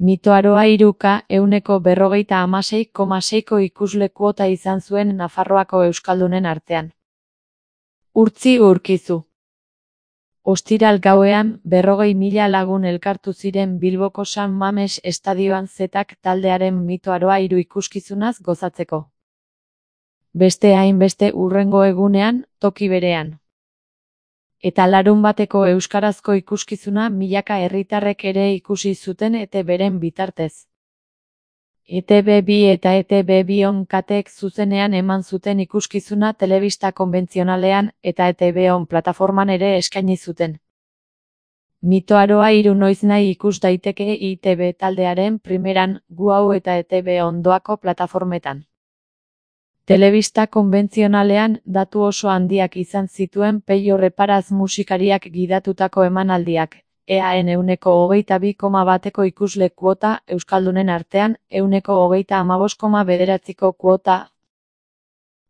Mitoaroa 3K 156,6ko ikusle kuota izan zuen Nafarroako euskaldunen artean. Urtzi Urkizu. Ostiral gauean 40.000 lagun elkartu ziren Bilboko San Mames estadioan Zetak taldearen Mitoaroa 3 ikuskizunaz gozatzeko. Beste hainbeste hurrengo egunean, toki berean. Eta larunbateko euskarazko ikuskizuna milaka herritarrek ere ikusi zuten ETBren bitartez. ETB2 eta ETB2 on kateek zuzenean eman zuten ikuskizuna telebista konbentzionalean eta ETB on plataforman ere eskaini zuten. Mitoaroa 3 noiznahi ikus daiteke ITB taldearen primeran, Guau eta ETB ondoako plataformetan. Telebista konbentzionalean datu oso handiak izan zituen Peio Reparaz musikariak gidatutako emanaldiak, EAN 22,1ko ikusle kuota, euskaldunen artean 25,9ko kuota,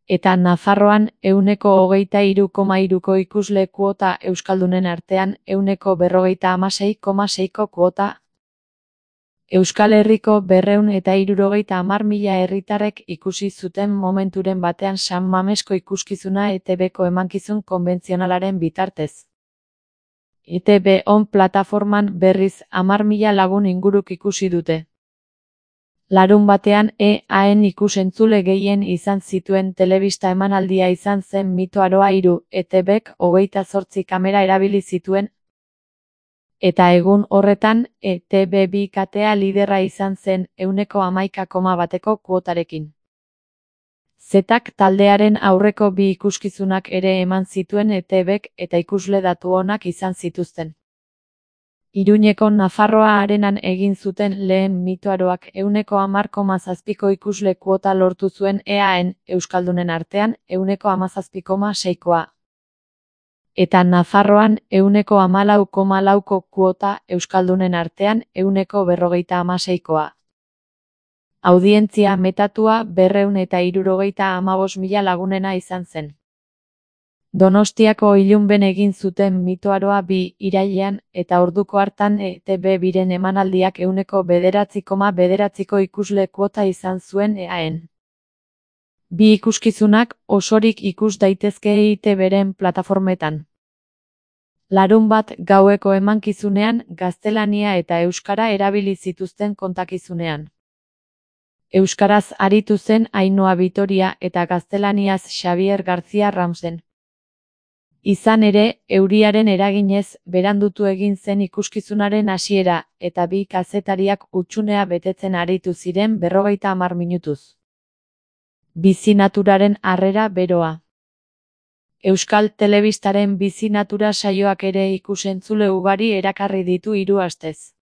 eta Nafarroan 23,3ko ikusle kuota, euskaldunen artean 56,6ko kuota. Euskal Herriko 270.000 herritarrek ikusi zuten momenturen batean San Mamesko ikuskizuna ETBko emankizun konbentzionalaren bitartez. ETB on plataforman berriz 10.000 lagun inguruk ikusi dute. Larunbatean EAN ikusentzule gehien izan zituen telebista emanaldia izan zen Mitoaroa 3, ETBk 28 kamera erabili zituen, eta egun horretan, ETB2 katea liderra izan zen 11,1ko kuotarekin. Zetak taldearen aurreko bi ikuskizunak ere eman zituen ETBk eta ikusle datu onak izan zituzten. Iruñeko Nafarroa Arenan egin zuten lehen Mitoaroak 10,7ko ikusle kuota lortu zuen EAN, euskaldunen artean 17,6koa. Eta Nafarroan 14,4ko kuota, euskaldunen artean 156koa. Audientzia metatua 275.000 lagunena izan zen. Donostiako Ilunben egin zuten Mitoaroa 2 irailean, eta orduko hartan ETB2ren emanaldiak 9,9ko ikusle kuota izan zuen EAN. Bi ikuskizunak osorik ikus daitezke ITBren plataformetan. Larunbat gaueko emankizunean gaztelania eta euskara erabili zituzten kontakizunean. Euskaraz aritu zen Ainhoa Vitoria eta gaztelaniaz Xabier García Ramsen. Izan ere, euriaren eraginez, berandutu egin zen ikuskizunaren hasiera, eta bi kazetariak hutsunea betetzen aritu ziren 50 minutuz. Bizi naturaren harrera beroa. Euskal Telebistaren bizi natura saioak ere ikusentzule ugari erakarri ditu 3 astez.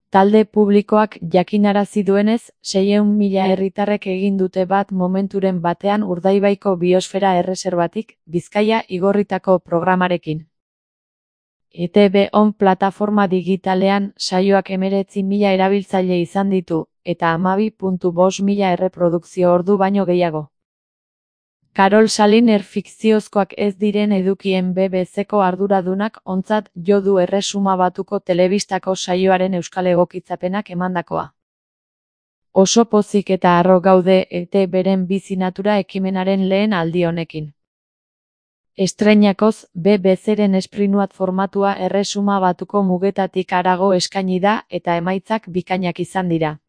Talde publikoak jakinarazi duenez, 600.000 herritarrek egin dute bat momenturen batean Urdaibaiko biosfera erreserbatik, Bizkaia igorritako programarekin. ETB on plataforma digitalean saioak 19.000 erabiltzaile izan ditu, eta 12.500 erreprodukzio ordu baino gehiago. Karol Saliner fikziozkoak ez diren edukien BBC-ko arduradunak ontzat jo du Erresuma Batuko telebistako saioaren euskal egokitzapenak emandakoa. Oso pozik eta harro gaude ETBren bizi natura ekimenaren lehen aldi honekin. Estreinakoz, BBC-ren esprinuat formatua Erresuma Batuko mugetatik harago eskaini da eta emaitzak bikainak izan dira.